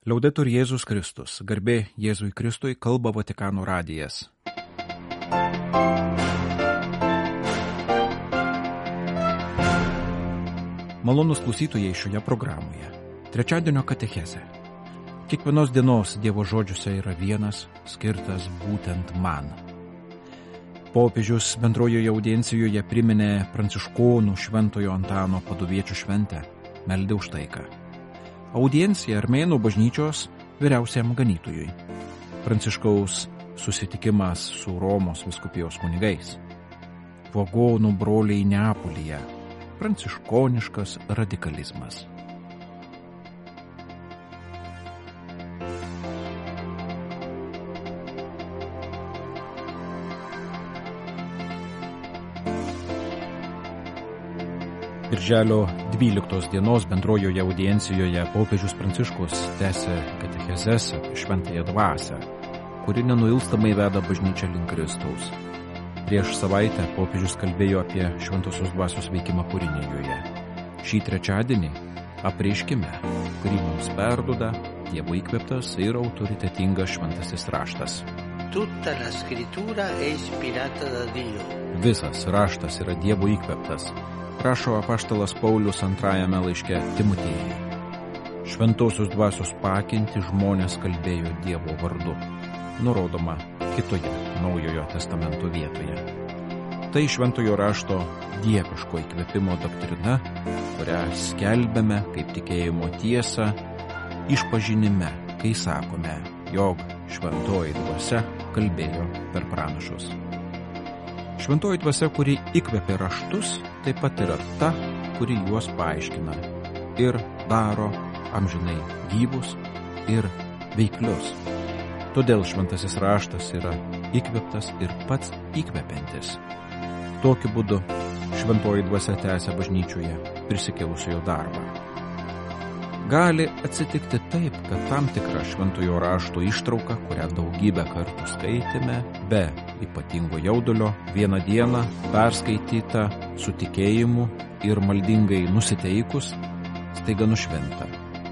Liaudetur Jėzus Kristus, garbė Jėzui Kristui, kalba Vatikano radijas. Malonūs klausytojai šioje programoje. Trečiadienio katechezė. Kiekvienos dienos Dievo žodžiuose yra vienas, skirtas būtent man. Popiežius bendrojoje audiencijoje priminė pranciškonų Šventojo Antano Paduviečių šventę, meldė už taiką. Audiencija Armėnų bažnyčios vyriausiam ganytojui. Pranciškaus susitikimas su Romos vyskupijos kunigais. Vagonų broliai Neapolyje. Pranciškoniškas radikalizmas. Birželio 12 dienos bendrojoje audiencijoje popiežius Pranciškus tęsė katechezes apie šventąją dvasią, kuri nenuilstamai veda bažnyčią link Kristaus. Prieš savaitę popiežius kalbėjo apie šventosios dvasios veikimą Purinėjoje. Šį trečiadienį apreiškime, kurį mums perduoda Dievo įkvėptas ir autoritetingas šventasis raštas. Tutta la scrittura è ispirata da Dio. Visas raštas yra Dievo įkvėptas, rašo apaštalas Paulius antrajame laiške Timotiejui. Šventosios dvasios pakinti žmonės kalbėjo Dievo vardu, nurodoma kitoje Naujojo testamento vietoje. Tai šventojo rašto dieviško įkvėpimo doktrina, kurią skelbiame kaip tikėjimo tiesą išpažinime, kai sakome, jog šventoji dvasia kalbėjo per pranašus. Šventoji dvasia, kuri įkvėpė raštus, taip pat yra ta, kuri juos paaiškina ir daro amžinai gyvus ir veiklius. Todėl šventasis raštas yra įkvėptas ir pats įkvepiantis. Tokiu būdu šventoji dvasia tęsia bažnyčioje prisikėlusiojo darbą. Gali atsitikti taip, kad tam tikra šventojo rašto ištrauka, kurią daugybę kartų skaitėme, be ypatingo jaudulio, vieną dieną perskaityta su tikėjimu ir maldingai nusiteikus, staiga nušvinta.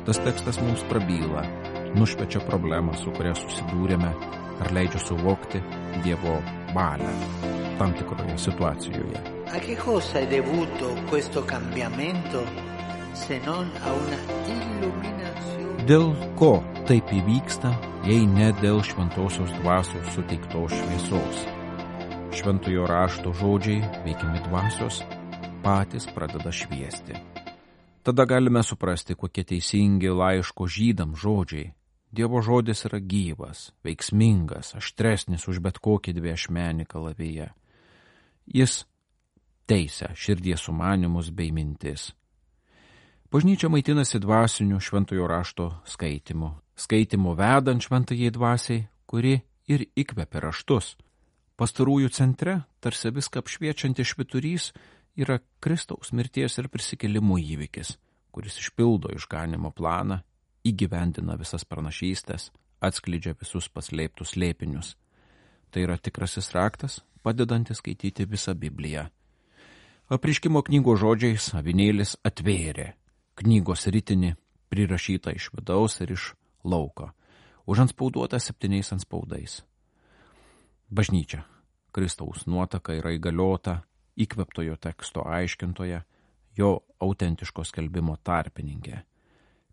Tas tekstas mums prabyla, nušviečia problemą, su kuria susidūrėme, ar leidžia suvokti Dievo valią tam tikroje situacijoje. A che cosa è dovuto questo cambiamento se non a una illuminazione? Dėl ko taip įvyksta, jei ne dėl šventosios dvasios suteiktos šviesos? Šventojo rašto žodžiai, veikiami dvasios, patys pradeda šviesti. Tada galime suprasti, kokie teisingi laiško žydams žodžiai. Dievo žodis yra gyvas, veiksmingas, aštresnis už bet kokį dviašmenį kalaviją. Jis teisia širdies sumanymus bei mintis. Bažnyčia maitinasi dvasiniu šventojo rašto skaitimu vedant šventajai dvasiai, kuri ir įkvepia raštus. Pastarųjų centre, tarsi viską apšviečiantis švyturys, yra Kristaus mirties ir prisikėlimo įvykis, kuris išpildo išganimo planą, įgyvendina visas pranašystes, atskleidžia visus paslėptus slėpinius. Tai yra tikrasis raktas, padedantis skaityti visą Bibliją. Apreiškimo knygos žodžiais avinėlis atvėrė knygos ritinį, prirašytą iš vidaus ir iš lauko, užantspauduotą 7 antspaudais. Bažnyčia, Kristaus nuotaka yra įgaliota įkvėptojo teksto aiškintoje, jo autentiško skelbimo tarpininkė.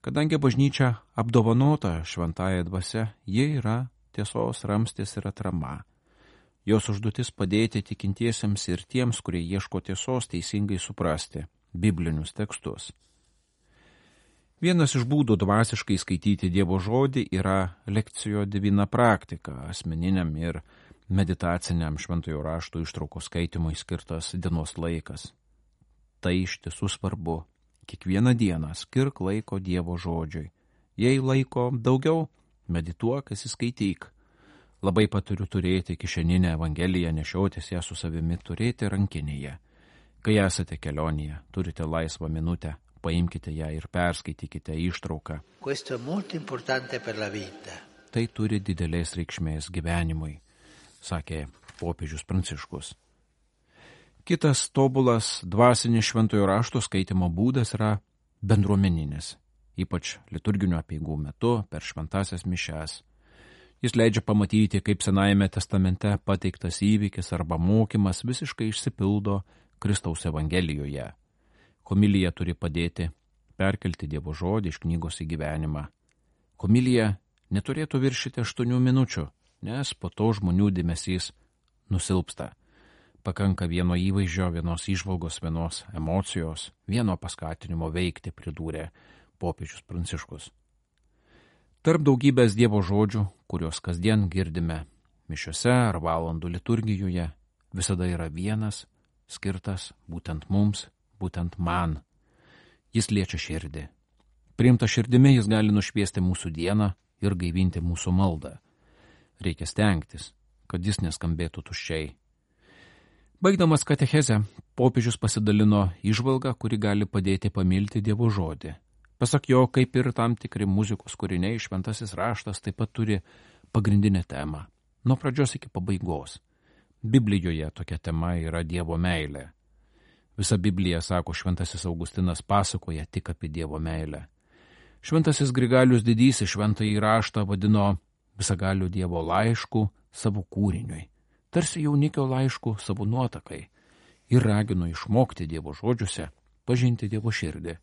Kadangi bažnyčia apdovanota šventąja dvasia, ji yra tiesos ramstis ir atrama. Jos užduotis padėti tikintiesiems ir tiems, kurie ieško tiesos, teisingai suprasti biblinius tekstus. Vienas iš būdų dvasiškai skaityti Dievo žodį yra lekcijo divina praktika, asmeniniam ir meditaciniam šventojo rašto ištraukos skaitimui skirtas dienos laikas. Tai iš tiesų svarbu. Kiekvieną dieną skirk laiko Dievo žodžiui. Jei laiko daugiau, medituok, įskaityk. Labai paturiu turėti kišeninę evangeliją, nešiotis ją su savimi, turėti rankinėje. Kai esate kelionėje, turite laisvą minutę, paimkite ją ir perskaitykite ištrauką. Questo è molto importante per la vita. Tai turi didelės reikšmės gyvenimui, sakė popiežius Pranciškus. Kitas tobulas dvasinis šventojo rašto skaitimo būdas yra bendruomeninis. ypač liturginių apeigų metu per šventasias mišias. Jis leidžia pamatyti, kaip Senajame testamente pateiktas įvykis arba mokymas visiškai išsipildo Kristaus Evangelijoje. Homilija turi padėti perkelti Dievo žodį iš knygos į gyvenimą. Homilija neturėtų viršyti 8 minučių, nes po to žmonių dėmesys nusilpsta. Pakanka vieno įvaizdžio, vienos įžvalgos, vienos emocijos, vieno paskatinimo veikti, pridūrė popiežius Pranciškus. Tarp daugybės Dievo žodžių, kuriuos kasdien girdime mišiose ar valandų liturgijoje, visada yra vienas, skirtas būtent mums, būtent man. Jis liečia širdį. Priimta širdimi jis gali nušviesti mūsų dieną ir gaivinti mūsų maldą. Reikia stengtis, kad jis neskambėtų tuščiai. Baigdamas katechezę, popiežius pasidalino įžvalgą, kuri gali padėti pamilti Dievo žodį. Pasak jo, kaip ir tam tikri muzikos kūriniai, šventasis raštas taip pat turi pagrindinę temą, nuo pradžios iki pabaigos. Biblijoje tokia tema yra Dievo meilė. Visa Biblija, sako šventasis Augustinas, pasakoja tik apie Dievo meilę. Šventasis Grigalius Didysis šventąjį raštą vadino visagaliu Dievo laišku savo kūriniui, tarsi jaunikio laišku savo nuotakai, ir ragino išmokti Dievo žodžiuose pažinti Dievo širdį.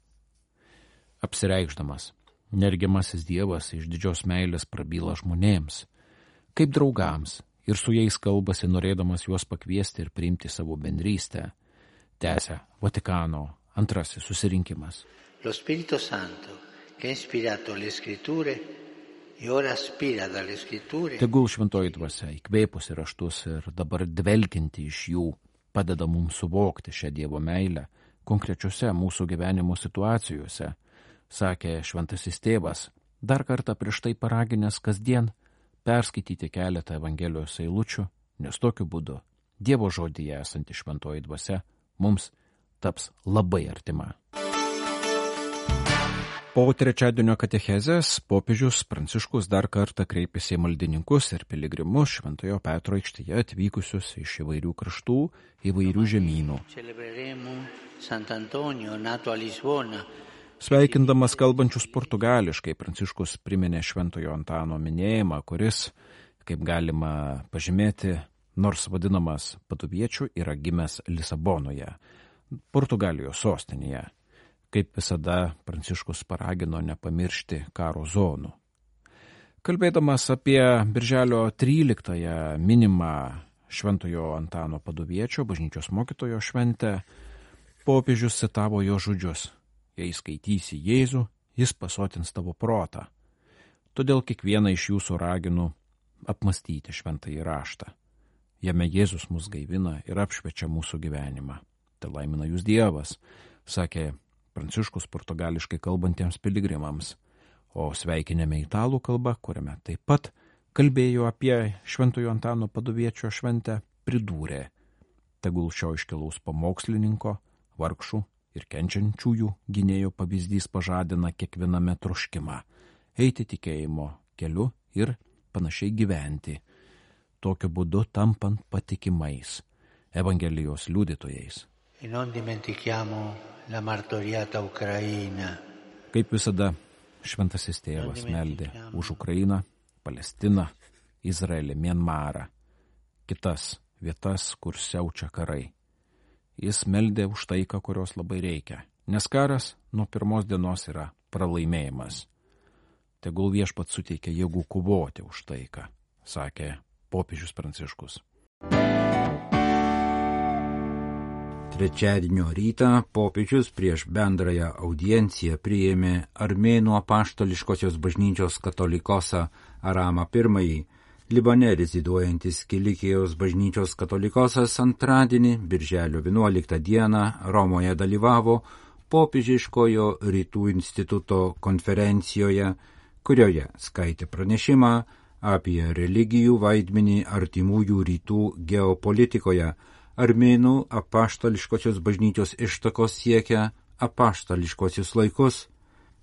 Apsireikšdamas, nergiamasis Dievas iš didžios meilės prabyla žmonėms, kaip draugams, ir su jais kalbasi, norėdamas juos pakviesti ir priimti savo bendrystę, tęsia Vatikano antrasis susirinkimas. Lo Spirito Santo, che ha ispirato le scritture e ora aspira dalle scritture. Tegul šventoji dvasia, įkvėpusi raštus ir dabar dvelkinti iš jų, padeda mums suvokti šią Dievo meilę konkrečiose mūsų gyvenimo situacijose, sakė šventasis tėvas, dar kartą prieš tai paraginęs kasdien perskaityti keletą Evangelijos eilučių, nes tokiu būdu Dievo žodyje esanti šventoji dvasia mums taps labai artima. Po trečiadienio katechezės popiežius Pranciškus dar kartą kreipėsi į maldininkus ir piligrimus Šventojo Petro aikštėje atvykusius iš įvairių kraštų, įvairių žemynų. Sveikindamas kalbančius portugališkai, Pranciškus priminė Šventojo Antano minėjimą, kuris, kaip galima pažymėti, nors vadinamas paduviečiu, yra gimęs Lisabonoje, Portugalijos sostinėje. Kaip visada, Pranciškus paragino nepamiršti karo zonų. Kalbėdamas apie birželio 13-ąją minimą Šventojo Antano paduviečio bažnyčios mokytojo šventę, popiežius citavo jo žodžius: jei skaitysi Jėzų, jis pasotins tavo protą. Todėl kiekvieną iš jūsų raginu apmastyti šventąjį raštą. Jame Jėzus mus gaivina ir apšviečia mūsų gyvenimą. Tai laimina jūs Dievas, sakė Pranciškus portugališkai kalbantiems piligrimams, o sveikinėme italų kalbą, kuriame taip pat kalbėjo apie Šventojo Antano paduviečio šventę, pridūrė: tegul šio iškilaus pamokslininko, vargšų ir kenčiančiųjų gynėjo pavyzdys pažadina kiekviename troškimą eiti tikėjimo keliu ir panašiai gyventi, tokiu būdu tampant patikimais Evangelijos liudytojais. E non dimentichiamo la martoriata Ucraina. Kaip visada, šventasis tėvas meldė už Ukrainą, Palestiną, Izraelį, Mianmarą, kitas vietas, kur siaučia karai. Jis meldė už taiką, kurios labai reikia, nes karas nuo pirmos dienos yra pralaimėjimas. Tegul viešpats suteikia jėgų kovoti už taiką, sakė popiežius Pranciškus. Trečiadienio rytą popiežius prieš bendrąją audienciją priėmė Armėnų apaštališkosios bažnyčios katolikosą Aramą I, Libane reziduojantis Kilikijos bažnyčios katolikosas antradienį, birželio 11 dieną, Romoje dalyvavo popiežiškojo Rytų instituto konferencijoje, kurioje skaitė pranešimą apie religijų vaidmenį artimųjų rytų geopolitikoje. Armėnų apaštališkosios bažnyčios ištakos siekia apaštališkosius laikus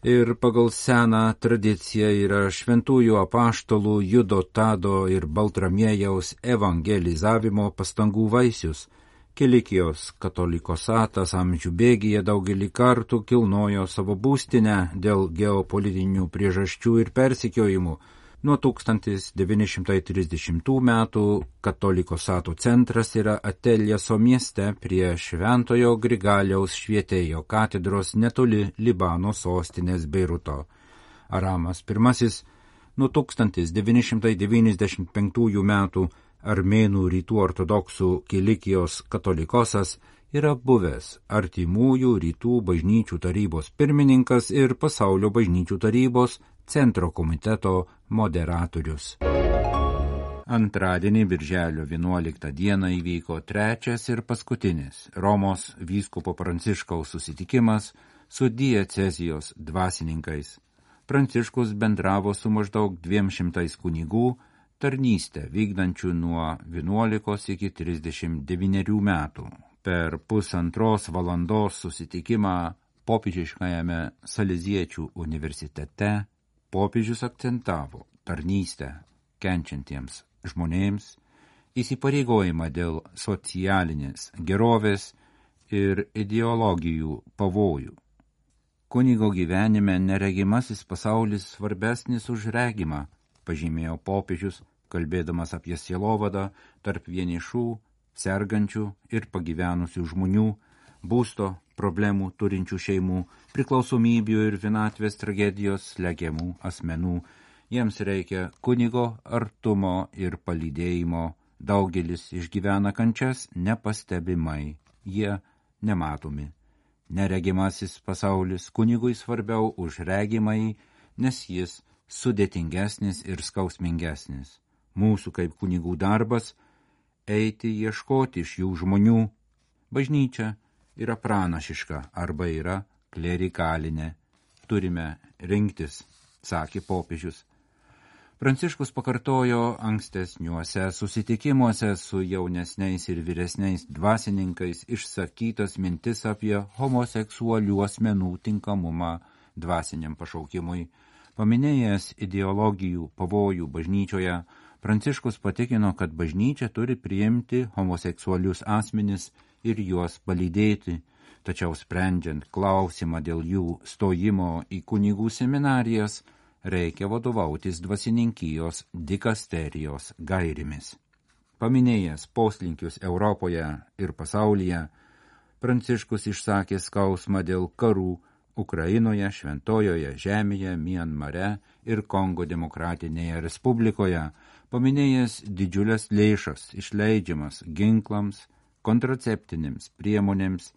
ir pagal seną tradiciją yra šventųjų apaštalų Judo, Tado ir Baltramiejaus evangelizavimo pastangų vaisius, Kilikijos katolikosatas amžių bėgyje daugelį kartų kilnojo savo būstinę dėl geopolitinių priežasčių ir persekiojimų. Nuo 1930 metų katolikosato centras yra Ateljeso mieste prie Šventojo Grigaliaus Švietėjo katedros netoli Libano sostinės Beiruto. Aramas I nuo 1995 metų Armėnų rytų ortodoksų Kilikijos katolikosas yra buvęs Artimųjų rytų bažnyčių tarybos pirmininkas ir Pasaulio bažnyčių tarybos centro komiteto moderatorius. Antradienį birželio 11 dieną įvyko trečias ir paskutinis Romos vyskupo Pranciškaus susitikimas su diecezijos dvasininkais. Pranciškus bendravo su maždaug 200 kunigų, tarnystę vykdančių nuo 11 iki 39 metų. Per 1,5 valandos susitikimą popiežiškajame Saleziečių universitete popiežius akcentavo tarnystę kenčiantiems žmonėms, įsipareigojimą dėl socialinės gerovės ir ideologijų pavojų. Kunigo gyvenime neregimasis pasaulis svarbesnis už regimą, pažymėjo popiežius, kalbėdamas apie sielovadą tarp vienišų, sergančių ir pagyvenusių žmonių, būsto problemų turinčių šeimų, priklausomybių ir vienatvės tragedijos slegiamų asmenų. Jiems reikia kunigo artumo ir palydėjimo. Daugelis išgyvena kančias nepastebimai. Jie nematomi. Neregimasis pasaulis kunigui svarbiau už regimai, nes jis sudėtingesnis ir skausmingesnis. Mūsų kaip kunigų darbas eiti ieškoti iš jų žmonių. Bažnyčia yra pranašiška arba yra klerikalinė. Turime rinktis, sakė popiežius. Pranciškus pakartojo ankstesniuose susitikimuose su jaunesniais ir vyresniais dvasininkais išsakytas mintis apie homoseksualių asmenų tinkamumą dvasiniam pašaukimui. Paminėjęs ideologijų pavojų bažnyčioje, Pranciškus patikino, kad bažnyčia turi priimti homoseksualius asmenis ir juos palydėti, tačiau sprendžiant klausimą dėl jų stojimo į kunigų seminarijas, reikia vadovautis dvasininkijos dikasterijos gairimis. Paminėjęs poslinkius Europoje ir pasaulyje, Pranciškus išsakė skausmą dėl karų Ukrainoje, Šventojoje žemėje, Mianmare ir Kongo demokratinėje respublikoje, paminėjęs didžiulės lėšas išleidžiamas ginklams, kontraceptinėms priemonėms,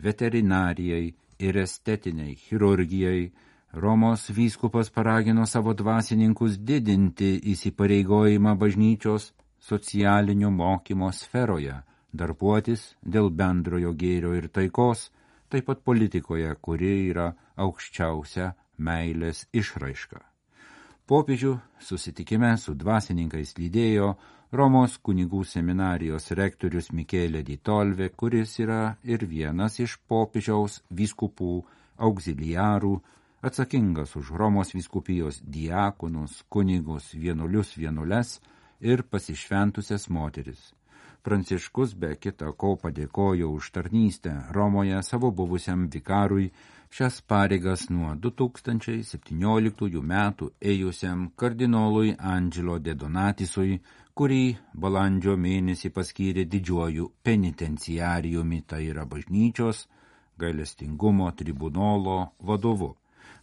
veterinarijai ir estetiniai chirurgijai. Romos vyskupas paragino savo dvasininkus didinti įsipareigojimą bažnyčios socialinio mokymo sferoje, darbuotis dėl bendrojo gėrio ir taikos, taip pat politikoje, kuri yra aukščiausia meilės išraiška. Popiežių susitikime su dvasininkais lydėjo Romos kunigų seminarijos rektorius Michele di Tolve, kuris yra ir vienas iš popiežiaus vyskupų auxiliarų, atsakingas už Romos vyskupijos diakonus, kunigus, vienuolius, vienuoles ir pasišventusias moteris. Pranciškus be kita ko padėkojo už tarnystę Romoje savo buvusiam vikarui, šias pareigas nuo 2017 metų ėjusiam kardinolui Angelo de Donatisui, kurį balandžio mėnesį paskyrė didžiuoju penitenciarijumi, tai yra bažnyčios gailestingumo tribunolo vadovu.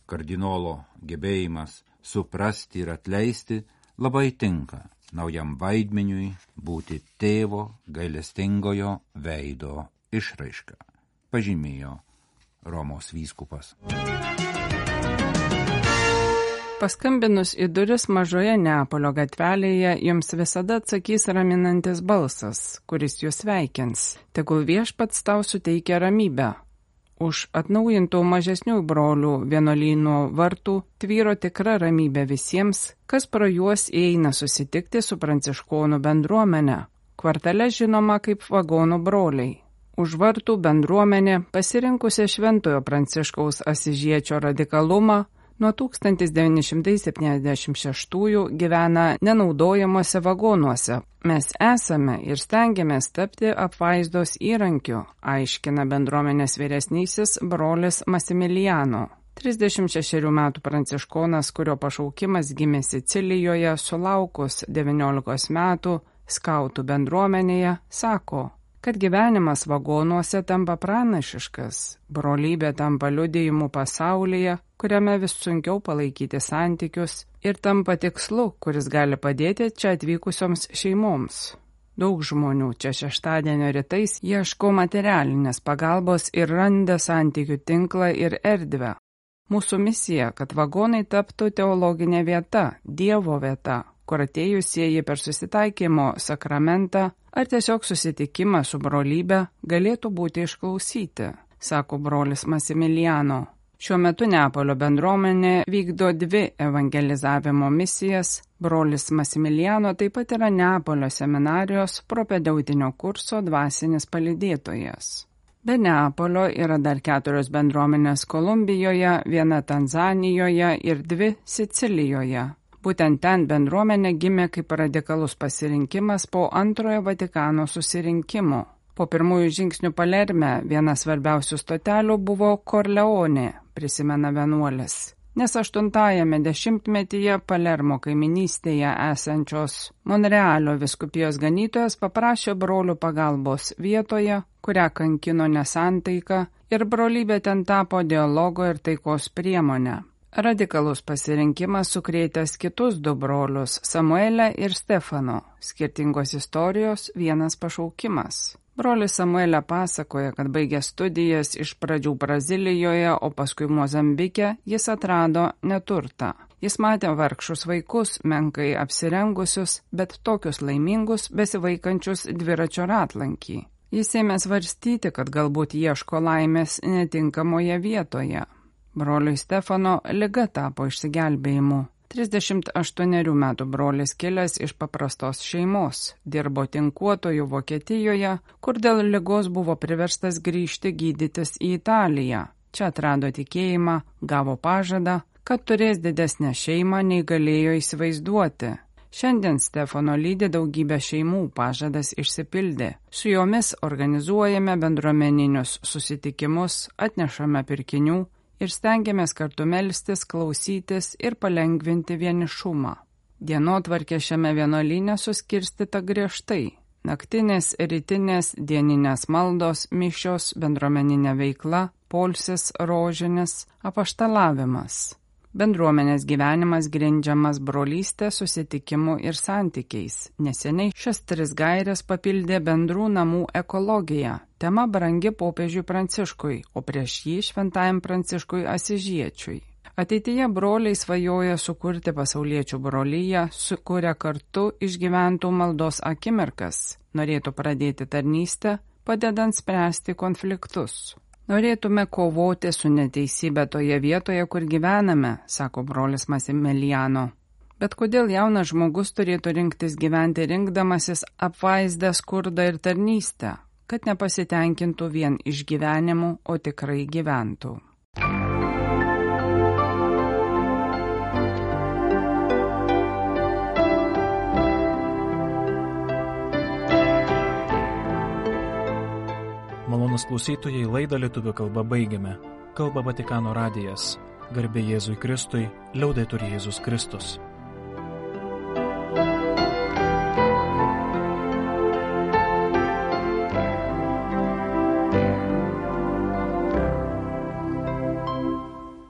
Kardinolo gebėjimas suprasti ir atleisti labai tinka naujam vaidmeniui būti tėvo gailestingojo veido išraiška, pažymėjo Romos vyskupas. Paskambinus į duris mažoje Neapolio gatvelėje, jums visada atsakys raminantis balsas, kuris jūs sveikins. Tegul viešpats tau suteikia ramybę. Už atnaujintų mažesnių brolių vienuolyno vartų tvyro tikra ramybė visiems, kas pro juos įeina susitikti su pranciškonų bendruomenė, kvartale žinoma kaip vagonų broliai. Už vartų bendruomenė, pasirinkusi Šventojo Pranciškaus Asižiečio radikalumą, Nuo 1976 gyvena nenaudojamuose vagonuose. Mes esame ir stengiamės tapti apvaizdos įrankiu, aiškina bendruomenės vyresnysis brolis Masimiliano. 36 metų pranciškonas, kurio pašaukimas gimė Sicilijoje sulaukus 19 metų skautų bendruomenėje, sako, kad gyvenimas vagonuose tampa pranašiškas, brolybė tampa liudijimu pasaulyje, kuriame vis sunkiau palaikyti santykius ir tampa tikslu, kuris gali padėti čia atvykusioms šeimoms. Daug žmonių čia šeštadienio rytais ieško materialinės pagalbos ir randa santykių tinklą ir erdvę. Mūsų misija, kad vagonai taptų teologinė vieta, Dievo vieta, kur atėjusieji per susitaikymo sakramentą ar tiesiog susitikimą su brolybe galėtų būti išklausyti, sako brolis Masimiliano. Šiuo metu Neapolio bendruomenė vykdo 2 evangelizavimo misijas. Brolis Masimiliano taip pat yra Neapolio seminarijos propedeutinio kurso dvasinis palydėtojas. Be Neapolio yra dar 4 bendruomenės Kolumbijoje, 1 Tanzanijoje ir 2 Sicilijoje. Būtent ten bendruomenė gimė kaip radikalus pasirinkimas po Antrojo Vatikano susirinkimo. Po pirmųjų žingsnių Palerme viena svarbiausių stotelių buvo Korleonė, prisimena vienuolis. Nes 8-ajame dešimtmetyje Palermo kaiminystėje esančios Monrealio vyskupijos ganytojas paprašė brolių pagalbos vietoje, kurią kankino nesantaika, ir brolybė ten tapo dialogo ir taikos priemonę. Radikalus pasirinkimas sukrėtęs kitus 2 brolius, Samuelę ir Stefano, skirtingos istorijos, vienas pašaukimas. Brolis Samuelė pasakoja, kad baigė studijas iš pradžių Brazilijoje, o paskui Mozambike, jis atrado neturtą. Jis matė vargšus vaikus, menkai apsirengusius, bet tokius laimingus, besivaikančius dviračio ratlankį. Jis ėmė svarstyti, kad galbūt ieško laimės netinkamoje vietoje. Broliui Stefano liga tapo išsigelbėjimu. 38 metų brolis kilęs iš paprastos šeimos, dirbo tinkuotojų Vokietijoje, kur dėl ligos buvo priverstas grįžti gydytis į Italiją. Čia atrado tikėjimą, gavo pažadą, kad turės didesnę šeimą nei galėjo įsivaizduoti. Šiandien Stefano lydi daugybę šeimų, pažadas išsipildė. Su jomis organizuojame bendruomeninius susitikimus, atnešame pirkinių ir stengiamės kartu melstis, klausytis ir palengvinti vienišumą. Dienotvarkė šiame vienuolyne suskirstyta griežtai. Naktinės, rytinės, dieninės maldos, mišios, bendruomeninė veikla, poilsis, rožinis, apaštalavimas. Bendruomenės gyvenimas grindžiamas brolystė, susitikimu ir santykiais. Neseniai šias 3 gaires papildė bendrų namų ekologija. Tema brangi popiežiui Pranciškui, o prieš jį šventajam Pranciškui Asižiečiui. Ateityje broliai svajoja sukurti pasauliečių broliją, sukuria kartu išgyventų maldos akimirkas. Norėtų pradėti tarnystę, padedant spręsti konfliktus. Norėtume kovoti su neteisybė toje vietoje, kur gyvename, sako brolis Masimiliano. Bet kodėl jaunas žmogus turėtų rinktis gyventi rinkdamasis apvaizdą, skurdą ir tarnystę, kad nepasitenkintų vien išgyvenimu, o tikrai gyventų? Malonūs klausytojai, laidą lietuvių kalba baigiame. Kalba Vatikano radijas. Garbė Jėzui Kristui, liaudetur Jėzus Kristus.